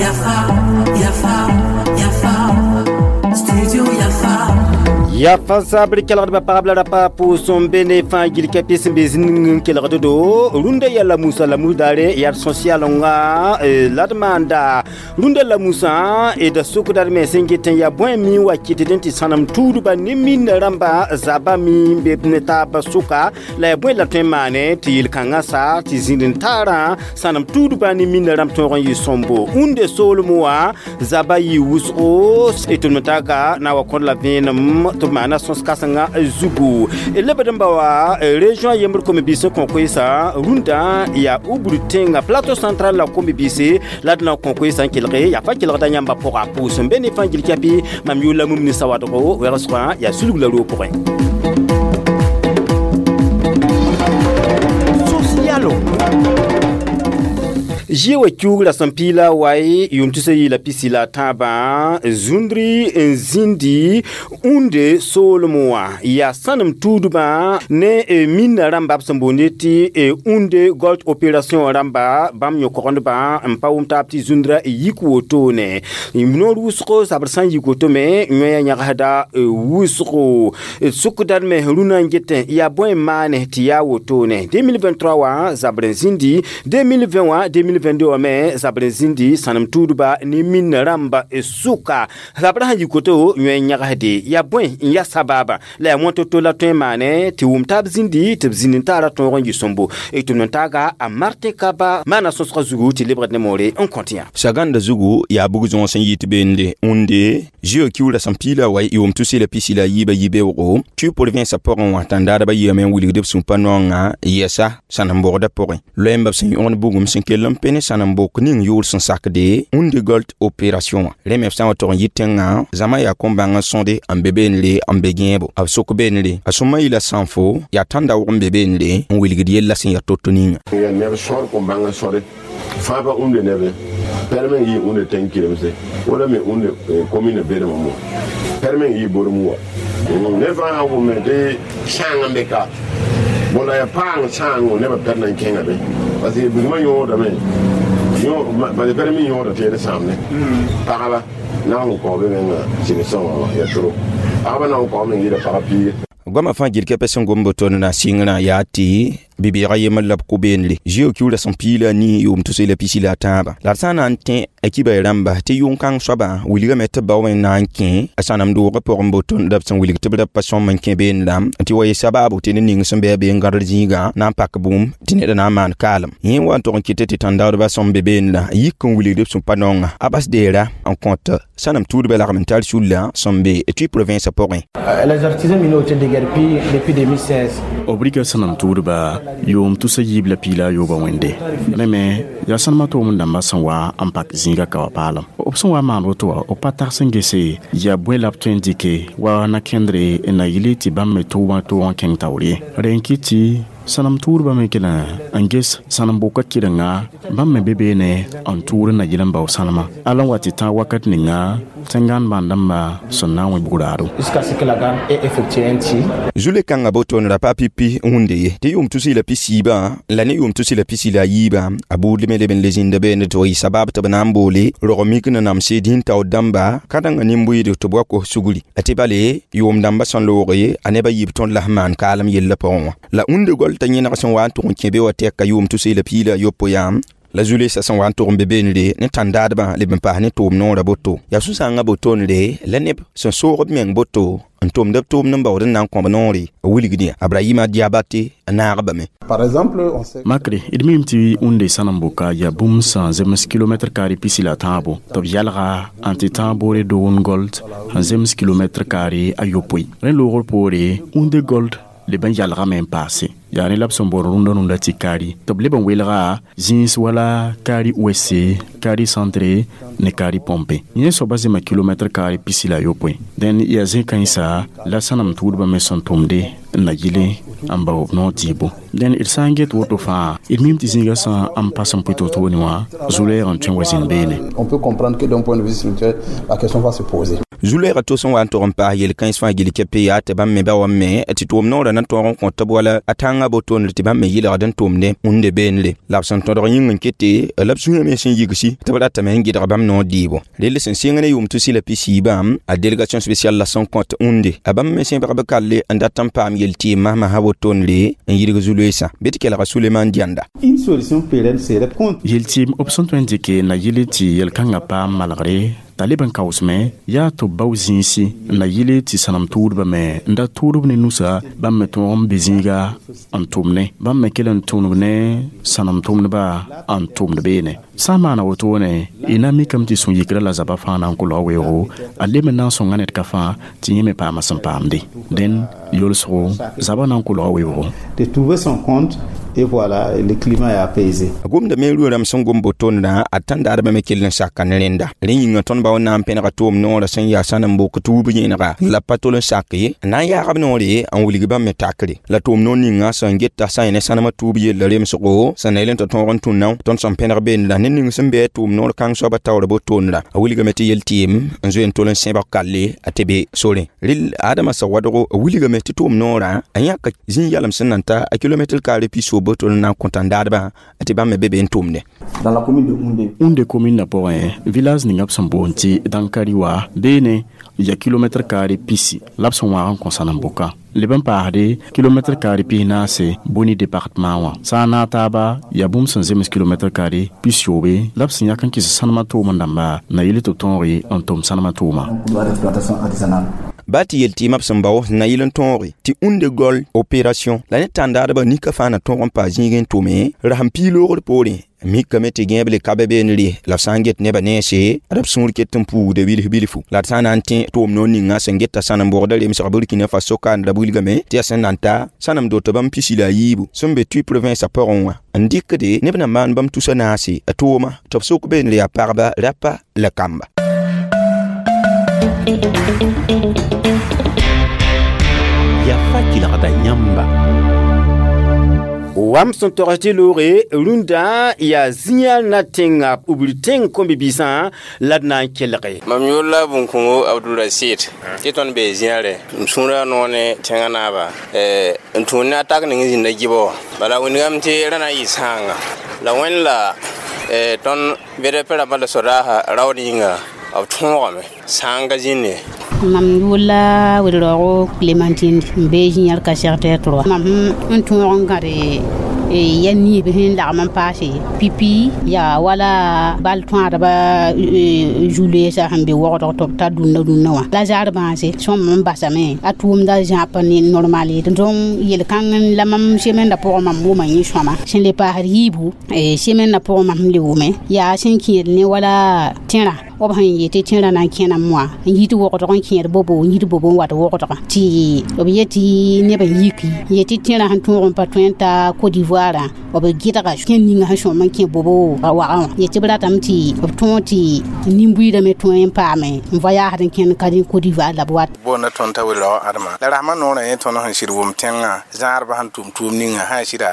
Yafa, Yafa, Yafa, Studio Yafa. Ya fa zabr kelgdbã pagb la rapa pʋʋs n be ne fãa gil kɛpɩ sẽn be zĩnig n kelgd do rũndã yaa la musa la mus daare yaa sõsyalenga la d maanda rũndã la musã d sʋkda d me sẽn get n yaa bõe mi wa kɩtd n tɩ sãnem tuudba ne minna rãmba zaba mi n be ne taab sʋka la yaa bõe la tõe n maane tɩ yel-kãngã sa tɩ zĩnd n taarã sãnem tuudba ne minna rãmb tõog n yɩ sõmbo ũnde soolem wã zaba yɩ wʋsgo tɩ m taga na wa kõd la vẽenem tɩ b maana sõs kãsenga zugu lebd n ba wa région yembr kom-biis n kõ koeesa rũndã yaa ubr tẽnga plateau central la kom-biise la d na n kõ koeesã n kelge yaa fa kelgda yãmba pʋga pʋʋs n be ne fãa gil kɛpɩ mam yʋʋr la mum ne sawadgo wɛgsgã yaa sulg la roog pʋgẽ sosialo zie wa kiugra sẽn piila wae yʋʋm tusa yɩɩla pisi la tãabã zũndri n zĩndi ũnde soolem wã yaa sãnem tuudbã ne minna rãmba b sẽn boonde tɩ ũnde gold opération rãmba bãmb yõ-kogendbã n pa wʋm taab tɩ zũndra yik wotone noor wʋsgo zabr sã n yik woto me yõe yãgsda wʋsgo sʋkdad me rũnã n getẽ yaa bõe n maane tɩ yaa wotone 2023 wã zabr n zĩndi 2020 wã 2022 wã me zabr n zĩndi sãnem tuudba ne minna rãmba sʋka zabr sã yik woto yõe n yãgsde yaa bõe n ya sababa la yaa wã to-to la tõe n maane tɩ wʋm taab zĩndi tɩ b zĩnd n taara tõog n yɩ sõmbo tɩ m taaga a martin kaba maana sõsgã zugu tɩ lebgd ne moore n kõt yã saganda zugu yaa bug zõos n yit beende ũnde zio kiuura sẽn piila wa yʋʋm tus la pisi la yiibã yibeoogo tɩ province pʋgẽ wã tãndaadbã yiame n wilgd b sũ-pa naongã yɛsa sãnem-bogdã pʋgẽ loɛɛmbã b sẽn yõgd bugum sẽn kell n pẽ ne sãnem-bok ning yʋʋr sẽn sakde ũnde gold opération wã rẽ me b sã n wa tog n yɩ tẽngã zãma yaa kom-bãng n sõde n be beenre n be gẽebo b sʋk beenre a sõma yɩla sãnfo yaa tãnda-wog n be beenre n wilgd yella sẽn yaa to-to ninga yaa neb sõd kom-bãng n sõde fãa pa ũnde nebe perme n yɩ ũnde tẽng kiremse wala me ũnde commune berem mo perme n yɩ borem wa ne fãa sã wʋme tɩ sãang n be ka bõla yaa paang sãango nebã pɛr na n kẽnga be parce que bugmã yõodame parce que perme yõoda tɩ d sãamne pagba na n kao be menga sɩd sõnga wã yaa toro pagba na n kaome n yɩɩda pagã piige goamã fãa gil kɛpɛ sẽn gom boto na sɩngrã yaa tɩ bi-beegã yembr la b kʋ beenre zio kiuura sẽn piila ni yʋʋm tus la pisi la tãabã la d sã n na n tẽ a kiba rãmba tɩ yʋng-kãng soabã wilgame tɩ b bao n na n kẽ a sãnem doogã pʋgẽ boto la b sẽn wilg tɩ b ra pa sõm n kẽ beenrã tɩ wa yɩ sabaabo tɩ ned ning sẽn be a be n gãdr zĩigã na n pak bũmb tɩ ned na n maan kaalem yẽ wa n tog n kɩtɩ tɩ tãndaoodbã sẽn be beenrã yik n wilgd b sũ-pa naongã a bas deera n kõt sãnem tuudbã lagm n tar sulla sẽn be tɩ province pʋgẽ. Les artisans miniers ont été déguerpis depuis 2016. B rɩka sãnem tuudba yʋʋm tusa yiib la piila a yoobã wẽnde rẽ me yaa sãnemã toom dãmbã sẽn wa n pak zĩigã ka wa paalem b sẽn wa maan woto wã b pa tags n gese yaa bõe la b tõe n dɩke wa na-kẽndre n na yɩle tɩ bãmb me tʋʋmã toog n kẽng taoor ye rẽ n kɩt tɩ sãnem tuudbã me kell n ges sãnem-bʋka kɩrenga bãmb me be beene n tʋʋr n na yɩl n bao sãnemã ala n wa tɩ tãag wakat ninga tẽngãan bãn-dãmbã sẽn na n wẽ bug-raado. Jusqu'à ce que la GAN ait effectué un tir. Zule kãngã boto n ra pa pipi wũnde ye tɩ yʋʋm tus la pisiibã la ne yʋʋm tus la pisi la yiibã a buud me leb n le zĩnda beene tɩ wa yɩ sabab tɩ b na n boole rog mik na namse dĩn-taoor dãmba ka-dãngã nin-bʋɩɩd tɩ b wa kos sugri a tɩ bale yʋʋm dãmbã sẽn looge a nebã yiib tõnd la sẽn maan kaalem yellã pʋgẽ wã la ũnde gol t'a yẽneg sẽn wa n tʋg n kẽ be wa tɛka yʋʋm tus la piila yopoe yãam la zulesa sẽn wa n tʋg n be beenre ne tãndaadbã leb n paas ne tʋʋm noorã boto yaa sũ-sãangã botonre la neb sẽn soog b meng boto n tʋmd b tʋʋmd n baood n na n kõb noore b wilgd yã abrahima diabate n naag bame. Par exemple, on sait Makre d mim tɩ ũnde sãnem-boka yaa bũmb sẽn zems kilomɛtr kaare pisi la tãabo tɩ b yalga n tɩ tãag boore doon gold n zems kilomɛtr kaare a yopoe rẽ loogr poore ũnde gold leb n yalgame n paase yaa rẽ la b sẽn boor rũndã rũndã tɩ kaari tɩ b leb n welga zĩis wala kaari ouest, kaari centre ne kaari pompe yẽ soaba zema kilomɛtr kaare pisi la yopoe dẽn yaa zẽ-kãensa la sãnem tuudbã me sẽn tʋmde n na yɩle n bao b noor dɩɩbo dẽn d sã n get woto fãa d mim tɩ zĩigã sã n pa sẽn pʋɩ to-toone wã zu-lɛɛg n tõe n wa zĩnd beene. On peut comprendre que d'un point de vue spirituel, la question va se poser. Zu-loɛɛgã to sẽn wa n tog n paas yel-kãens fãa gill kɛpɛ yaa tɩ bãmb me ba wa me tɩ tʋʋm noorã na tõog n kõ tɩ b wala a tãngã botondr tɩ bãmb me yɩlgd n tʋmde ũnde beenre la b sẽn tõdg yĩng n kete la b sũyã me sẽn yigsi tɩ b ratame n gɩdg bãmb noor dɩɩbo rell sẽn sɩng ne yʋʋm tusi la pisiibã a délégation spéciale la sẽn kõt ũnde a bãmb me sẽbg b kalle n dat n paam yel-tɩɩm masmasã wotondre n yidg zu-loeesã bɩ tɩ kelga Suleman Dianda. Une solution pérenne serait contre. Yel-tɩɩm b sẽn tõe n dɩke na yɩl tɩ yel-kãngã paam malgre t'a leb n kaoosme yaa tɩ b bao zĩisi n na yɩle tɩ sãnem tʋʋdbã me n da tʋʋdb ne nusa bãmb me tõog n be zĩiga n tʋmne bãmb me kell n tʋmd ne sãnem tʋmdba n tʋmd beene sã n maana wotone y na mikame tɩ sũ-yikrã la zabã fãa na n kolga weoogo a leb n na n sõnga ned ka fãa tɩ yẽ me paama sẽn paamde dẽn yolsgo zabã na n kolga weoogo. De trouver son compte et voilà, le climat est apaisé. A gomda me rʋɩ-rãmb sẽn gom botondrã a tãndaadbã me kell n saka ne rẽnda rẽ yĩnga tõnd bao na n pẽnega tʋʋm noorã sẽn yaa sãn n bok tuub yẽnega la pa tol n sak ye n na n yaagb noore n wilg bãmb me takre la tʋʋm noor ninga sẽn geta sã n yẽ ne sãnemã tuub yella remsgo sẽn na yel n tɩ tõog n tũnna tõnd sẽn pẽneg beendrã ne ning sẽn be a tʋʋm noor kãng soabã taoor botondrã a wilgame tɩ yel-tɩɩm n zoe n tol n sẽbg kalle a tɩ be sorẽ rel Adama Sawadgo a wilgame tɩ tʋʋm noorã a yãka zĩ-yalem sẽn nan ta a kilomɛtr kaare piso boto n na n kõ tãndaadbã tɩ bãmb me be be n tʋmde. Dans la commune de Houndé. Houndé commune na pʋgẽ village ninga b sẽn boond tɩ Dankari wa beene ya kilomɛtr kaare pisi la b sẽn wãag n kõ sãnem-bʋka leb n paasde kilomɛtr kaare pis-naase Boni département wã sã n naag taaba yaa bũmb sẽn zems kilomɛtr kaare pis-yoobe la b sẽn yak n kɩs sãnemã tʋʋm dãmba na yɩl tɩ b tõoge n tʋm sãnemã tʋʋma. Couloir d'exploitation artisanale. Ba tɩ yel-tɩɩmã b sẽn bao na yɩl n tõoge tɩ Houndé gɔl opération la ne tãndaadbã nika fãa na tõog n paa zĩig n tʋme rasem piig loogr poorẽ mikame tɩ gẽeb le ka be beenre la b sã n get nebã nense ad b sũur ket n puugde bilf bilfu la d sã n na n tẽ tʋʋm noor ninga sẽn geta sãnem bʋgda remsg Burkina Faso kaanda wilgame tɩ yaa sẽn na n ta sãnem dot bãmb pisi la a yiibu sẽn be Tui province a pʋgẽ wã n dɩkde neb na maan bãmb tusa naase a tʋʋma tɩ b sʋk beenre yaa pagba rapa la kamba. Yafa kelgda yãmba. Wam sẽn togs tɩ loore rũndã yaa zĩ-yãl na tẽnga b tẽng kõn-bi-biisã la d na n kelge. Mam yʋʋr la Bũn-kõngo Abdurasid tɩ tõnd bee zĩyãre m sũurã noog ne tẽngã naaba n tũud ne a tak ning n zĩnda gɩbɔ bala wĩndgame tɩ rã na n yɩ sãanga la wẽnd la tõnd BDP rãmbã la sodaasã raood yĩnga b tõogame sãanga zĩnde. Mam yʋʋr la Wed-raoogo Clémentine n be zĩ-yãl ka secteur 3 mam n tõog n gãde ya niib sẽn lagm n paase pipi yaa wala bal tõadba zu-loeesã sẽn be wogdg tɩ b tar dũnna dũnna wã la zaar bãase sõm n basame a tʋʋmda zãap ne normal ye donc yel-kãng la mam semaine pʋgẽ mam wʋma yẽ sõma sẽn le paasd yiibu semaine pʋgẽ mam le wʋme yaa sẽn kẽed ne wala tẽrã b sẽn yetɩ tẽrã na n kẽname wã n yit wogdg n kẽed bobo n yit bobo n wat wogdgã tɩ b yetɩ neb n yiki yetɩ tẽrã sẽn tõog n pa tõe n ta Côte d'Ivoire b gɩdga kẽn ninga sẽn sõm n kẽ bobo wagã wã yetɩ b ratame tɩ b tõog tɩ nin-buiidã me tõe n paame n voyaasd n kẽnd ka Côte d'Ivoire la b wat. Boonda tõnd t'a Wed-raoog Adama la rasmã noorã yẽ tõnd sẽn sɩd wʋm tẽngã zãadbã sẽn tʋm tʋʋm ninga sã sɩda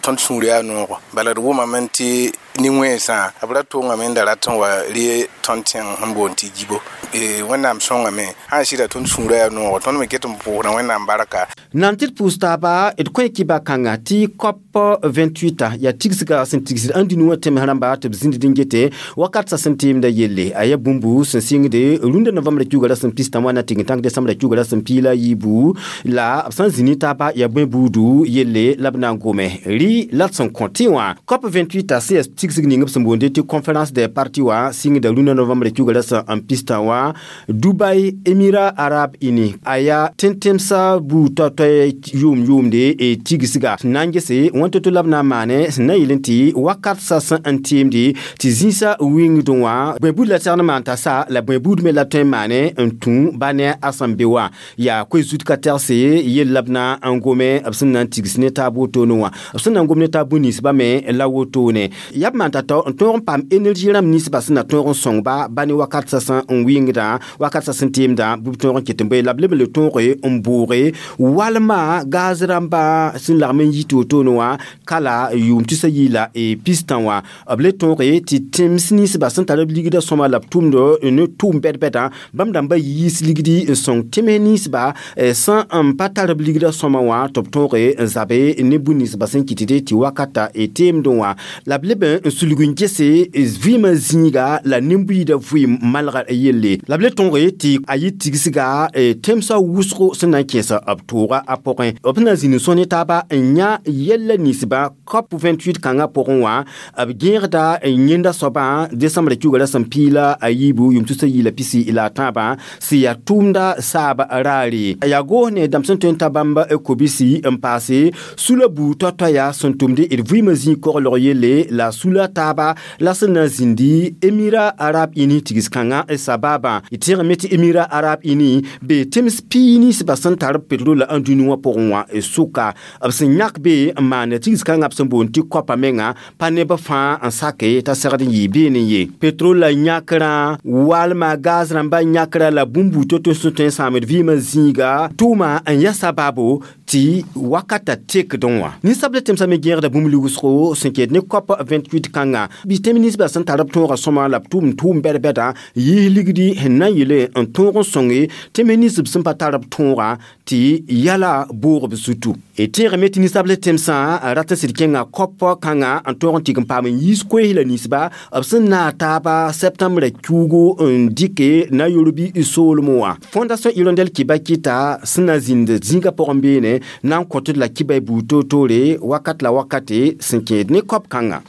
tõnd sũur yaa noogo bala d wʋmame tɩ nin-wẽnsã b ra tongame n da rat n wa re tõnd tẽng sẽn boond tɩ gibo Wẽnnaam sõngame sã n sɩda tõnd sũurã yaa noogo tõnd me ket n pʋʋsda Wẽnnaam barka. Nan tɩ d pʋʋs taaba d kõ kiba kãnga tɩ COP 28 yaa tigsga sẽn tigsd ãn dĩnu wã tẽms rãmba tɩ b zĩnd n gete wakat sa sẽn tɩɩmda yelle a yaa bũmbu sẽn sɩngde rũndã novembrã kiuga rasem pistã wã na tɩg n tãng desembrã kiuga rasem piig la a yiibu la b sã n zĩ ne taaba yaa bõe buudu yelle la b na n gome rɩ la d sẽn kõ tɩ wã COP 28 sẽn yaa tigsg ning b sẽn boonde tɩ conférence des parties wã sɩngda rũndã novembrã kiuga rasem n pistã wã Dubai Émirats Arabes Unis a yaa tẽn-tẽmsã buud tao-tao yʋʋm yʋʋmde tigsga sẽn na n gese wãn to-to la b na n maane sẽn na yɩl n tɩ wakat sa sẽn n tɩɩmde tɩ zĩisã wĩngdẽ wã bõe buud la segd n maan t'a sa la bõe buud me la tõe n maane n tũ ba ne a sẽn be wã yaa koe-zut ka tɛgse yell la b na n gome b sẽn na n tigs ne taab wotone wã b sẽn na n gom ne taab bũn-ninsbã me la wotone yaa Yaa b maan tao-tao n tõog n paam énergie rãmb ninsbã sẽn na tõog n sõng-ba ba ne wakat sã n wɩngdã, wakat sã sẽn teemdã, bɩ b tõog n ket n bõe la b leb n le tõoge n bʋʋge walma gaz rãmba sẽn lagm n yi toor-toorne wã kala yʋʋm tusa yi la pistã wã. B le tõoge tɩ tẽms ninsbã sẽn tar b ligdã sõma la b tʋmd ne tʋʋm bɛd-bɛdã, bãmb dãmba yiis ligdi n sõng tẽms ninsba sẽn n pa tar b ligdã sõma wã tɩ b tõoge n zabe ne bũmb ninsbã sẽn kɩtde tɩ wakata teemdẽ wã. La b leb n sulg n gese vɩɩmã zĩiga la nin-buiidã vɩɩm malga yelle. La b le tõoge tɩ a yɩ tigsga tẽmsã wʋsgo sẽn na n kẽesa b tooga a pʋgẽ. B sẽn na n zĩnd n sõs ne taaba n yã yɛlla ninsbã COP 28 kãngã pʋgẽ wã, b gẽegda yẽnda soabã décembre kiuga ra sẽn piila a yiibu yʋʋm tusa yi la pisi la a tãabã sẽn yaa tʋʋmda saab raare. Yaa goos ne dãmb sẽn tõe n ta bãmb kobisi n paase sula buud tao-toaya sẽn tʋmde d vɩɩmã zĩig koglg yelle la sula taaba la sẽn na n zĩndi Émirats Arabes Unis tigs kãngã sababã. D tẽegame tɩ Émirats Arabes Unis bee tẽms pii ninsbã sẽn tar petrol n dũni wã pʋgẽ wã sʋka. B sẽn yãk be n maana tigs kãngã b sẽn boond tɩ COP menga pa neb fãa n sake t'a segd n yɩ beene ye. Petrol la yãkrã, walma gaz rãmba yãkrã la bũmb buud to-to sẽn tõe n sãamd vɩɩmã zĩiga tʋʋma n ya sababo tɩ wakata tekdẽ wã. Ninsabla tẽmsã me gẽegda bũmb lugsgo sẽn ket ne COP 28 kãngã. Bɩ tẽm ninsbã sẽn tar b tõogã sõma la b tʋʋm tʋʋm bɛd-bɛdã yiis ligdi sẽn na n yele n tõog n sõnge tẽms ninsb sẽn pa tar b tõogã tɩ yala boog b zutu. D tẽegame tɩ ninsabla tẽmsã rat n sɩd kẽnga COP kãngã n tõog n tɩg n paam n yiis koees la ninsba b sẽn naag taaba septembre kiugu n dɩke Nairobi soolem wã. Fondation Hirondelle kɩba kɩta sẽn na n zĩnd zĩigã pʋgẽ beene na n kõtd la kɩba y buud toor-toore wakat la wakate sẽn kẽed ne COP kãngã.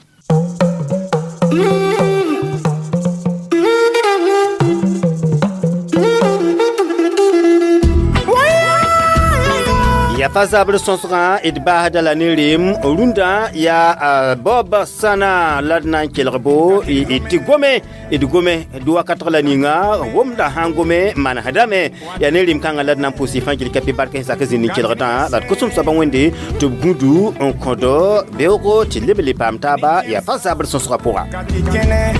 Yaa pa zabr sõsgã d baasda la ne reem rũndã yaa Bob Sana la d na n kelg bo tɩ gome d gome d wakatg la ninga womda sãn gome manesdame. Yaa ne reem kãngã la d na n pʋʋs fãa gil kapi bark sẽn sak zĩnd n kelgdã la d kosem soabã wẽnde tɩ b gũdu n kõdo beoogo tɩ leb le paam taaba. Yaa pa zabr sõsgã pʋga. Kati kene,